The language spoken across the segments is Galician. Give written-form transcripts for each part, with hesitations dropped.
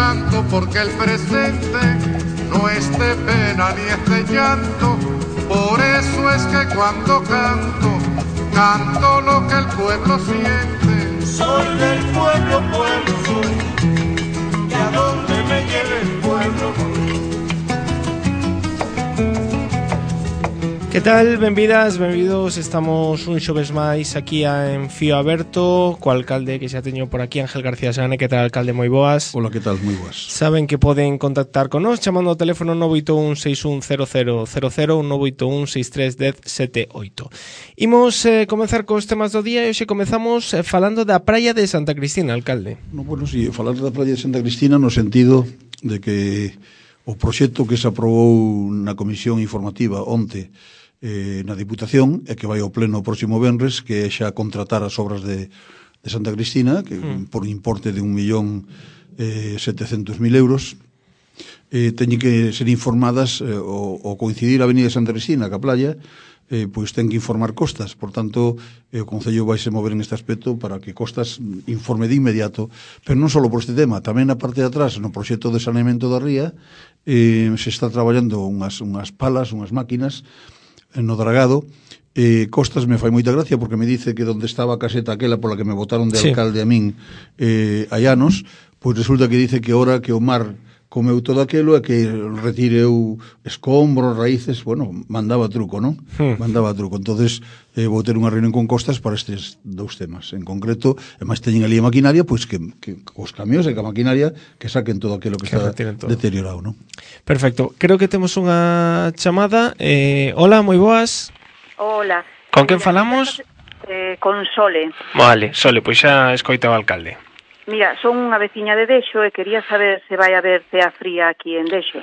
canto porque el presente no es de pena ni es de llanto. Por eso es que cuando canto, canto lo que el pueblo siente. Soy del pueblo, pueblo soy, y a donde me lleve el pueblo voy. Que tal? Benvidas, benvidos. Estamos un xoves máis aquí en Fío Aberto co alcalde que xa teño por aquí, Ángel García Sane. Que tal, alcalde? Moi boas. Hola, que tal? Moi boas. Saben que poden contactar con nós chamando ao teléfono 981 610000 ou 981 63 10 78. Imos comezar cos temas do día e hoxe comezamos falando da praia de Santa Cristina, alcalde. No, bueno, si, falar da praia de Santa Cristina no sentido de que o proxecto que se aprobou na comisión informativa onte na Diputación e que vai ao pleno o próximo venres, que é xa contratar as obras de Santa Cristina, que por un importe de 1.700.000 euros, teñen que ser informadas o coincidir a Avenida Santa Cristina ca playa, pois ten que informar Costas. Por tanto, o Concello vai se mover en este aspecto para que Costas informe de inmediato, pero non só por este tema, tamén na parte de atrás, no proxecto de saneamento da ría, se está traballando unhas palas, unhas máquinas no dragado. Costas me fai moita gracia porque me dice que onde estaba a caseta aquela pola que me botaron de alcalde a min hai anos, pois resulta que dice que ora que o mar comeu todo aquelo e que retireu escombros, raíces, bueno, mandaba truco, non? Mandaba truco. Entonces vou ter unha reunión con Costas para estes dous temas. En concreto, e máis teñen ali a maquinaria, pois que os camións e que a maquinaria que saquen todo aquilo que está deteriorado, non? Perfecto. Creo que temos unha chamada. Hola, moi boas. Hola. Con quen falamos? Con Sole. Vale, Sole, pois xa escoita o alcalde. Mira, son unha veciña de Dexo e quería saber se vai haber cea fría aquí en Dexo.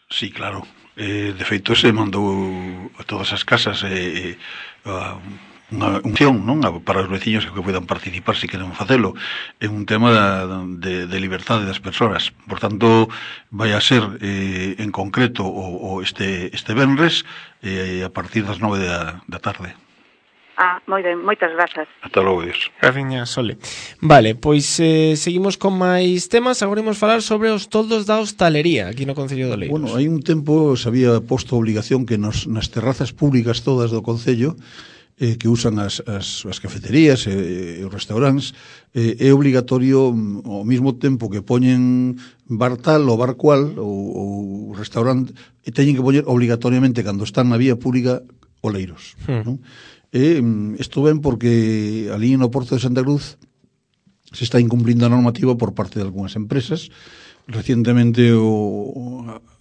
Sí, claro. De feito, se mandou a todas as casas unha opción, non? Para os veciños que poidan participar se queren facelo. É un tema de liberdade das persoas. Por tanto, vai a ser en concreto este venres a partir das 9 da tarde. Moi ben, moitas grazas. Ata logo, Dios. Graciña, Sole. Vale, pois seguimos con máis temas. Agora imos falar sobre os toldos da hostalería aquí no Concello de Oleiros. Bueno, hai un tempo se había posto a obligación que nas terrazas públicas todas do Concello que usan as cafeterías e os restaurantes, é obligatorio ao mesmo tempo que poñen bar tal ou bar cual ou restaurante, e teñen que poñer obligatoriamente cando están na vía pública oleiros, non? E isto ben porque ali no Porto de Santa Cruz se está incumplindo a normativa por parte de algunhas empresas. Recientemente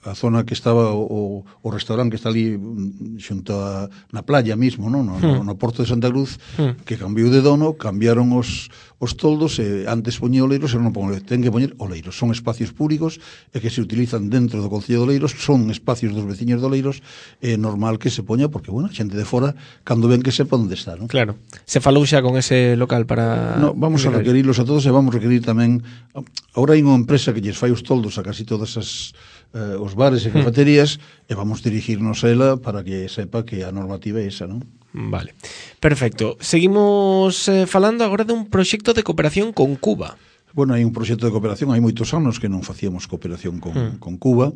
a zona que estaba o restaurante que está ali xunto na playa mismo, non? No Porto de Santa Cruz, que cambiou de dono, cambiaron os toldos e antes poñía oleiros e non ten que poñer oleiros. Son espacios públicos e que se utilizan dentro do Concello de Oleiros, son espacios dos veciños de Oleiros, é normal que se poña porque, bueno, a xente de fora cando ven que sepa onde está, non? Claro. Se falou xa con ese local para... No, vamos a requerirlos a todos e vamos a requerir tamén... Agora hai unha empresa que lles fai os toldos a casi todas os bares e cafeterías e vamos dirigirnos a ela para que sepa que a normativa é esa, non? Vale, perfecto. Seguimos falando agora dun proxecto de cooperación con Cuba. Bueno, hai un proxecto de cooperación, hai moitos anos que non facíamos cooperación con Cuba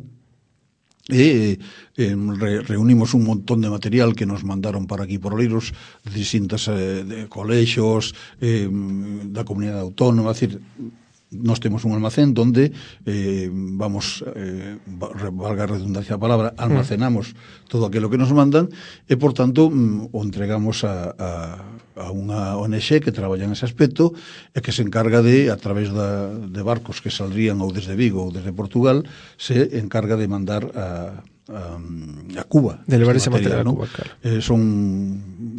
e reunimos un montón de material que nos mandaron para aquí por Oleiros de distintas colexios da comunidade autónoma, é dicir, nós temos un almacén donde vamos, valga a redundancia a palabra, almacenamos todo aquilo que nos mandan e, por tanto, o entregamos a unha ONG que traballa nese aspecto e que se encarga de, a través de barcos que saldrían ou desde Vigo ou desde Portugal, se encarga de mandar a Cuba. De levar ese material a Cuba, claro. Son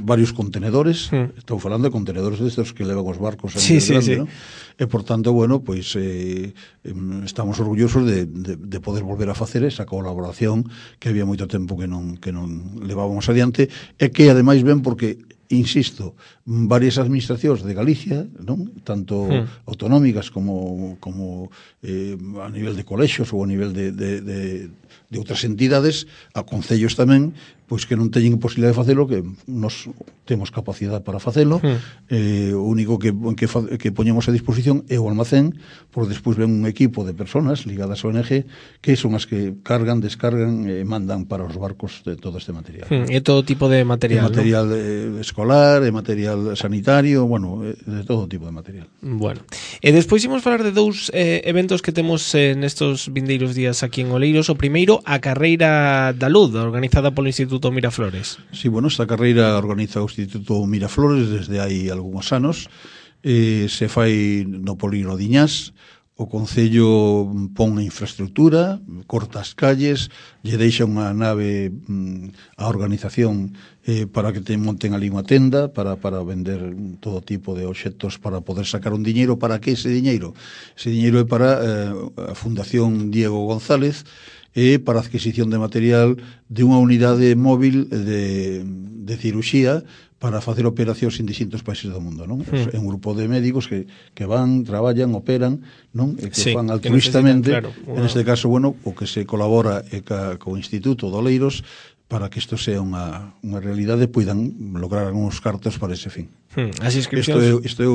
varios contenedores, estou falando de contenedores destes que levan os barcos sí. ¿no? E, por tanto, bueno, pois estamos orgullosos de poder volver a facer esa colaboración que había moito tempo que non levábamos adiante e que, ademais, ben porque insisto, varias administracións de Galicia, non? Tanto autonómicas como a nivel de colexios ou a nivel de outras entidades, a concellos tamén, pois que non teñen posibilidade de facelo, que nos temos capacidade para facelo. O único que poñemos a disposición é o almacén, porque despois ven un equipo de personas ligadas ao ONG que son as que cargan, descargan e mandan para os barcos de todo este material. É todo tipo de material, material escolar, material sanitario, bueno, de todo tipo de material. Bueno, e despois imos falar de dous eventos que temos nestos vindeiros días aquí en Oleiros. O primeiro, a Carreira da Luz, organizada polo Instituto Miraflores. Sí, bueno, esta carreira organiza o Instituto Miraflores desde hai algúns anos. Se fai no polígono de Iñás. O Concello pon a infraestructura, corta as calles, lle deixa unha nave a organización para que te monten ali unha tenda para vender todo tipo de obxectos para poder sacar un diñeiro. Para que ese diñeiro? Ese diñeiro é para a Fundación Diego González, e para a adquisición de material de unha unidade móvil de ciruxía para facer operacións en distintos países do mundo, non? É un grupo de médicos que van, traballan, operan, non? E que fan altruistamente. En este caso, bueno, o que se colabora é co Instituto de Oleiros para que isto sea unha realidade, poidan lograr algúns cartos para ese fin. As inscripcións... Isto é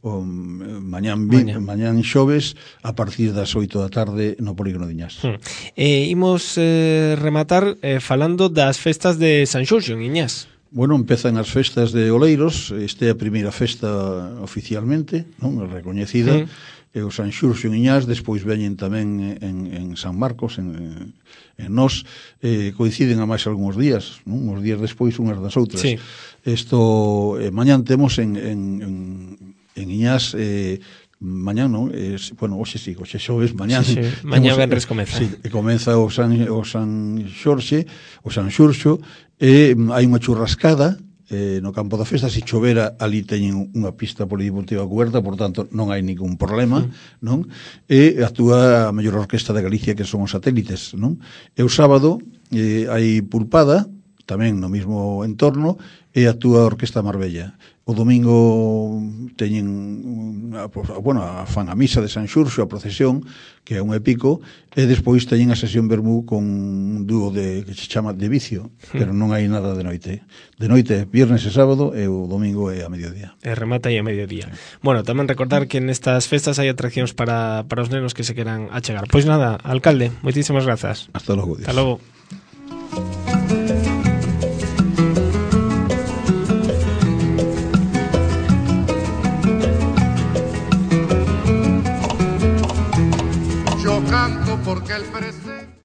o mañán xoves a partir das 8 da tarde no polígono de Iñás. Imos rematar falando das festas de San Xurxo en Iñás. Bueno, empezan as festas de Oleiros. Esta é a primeira festa oficialmente, non? Recoñecida. E o San Xurxo en Iñás, despois veñen tamén en San Marcos, en Nós, coinciden a máis algúns días, non? Uns días despois unhas das outras. Sí. Isto, mañán temos en Iñás, mañán non, bueno, hoxe xoves, mañán. Sí. Mañán venres comeza. Sí, comeza o San Xurxo, e hai unha churrascada no campo da festa. Se chovera, ali teñen unha pista polideportiva coberta, por tanto non hai ningún problema, non? E actúa a mellor orquesta de Galicia, que son os Satélites, non? E o sábado hai pulpada, tamén no mesmo entorno, e actúa a Orquesta Marbella. O domingo teñen fan a misa de San Xurxo, a procesión, que é un épico, e despois teñen a sesión vermú con un dúo que se chama De Vicio, pero non hai nada de noite. De noite, viernes e sábado, e o domingo é a mediodía. E remata aí a mediodía. Bueno, tamén recordar que nestas festas hai atraccións para os nenos que se queran achegar. Pois nada, alcalde, moitísimas grazas. Hasta logo. Hasta logo.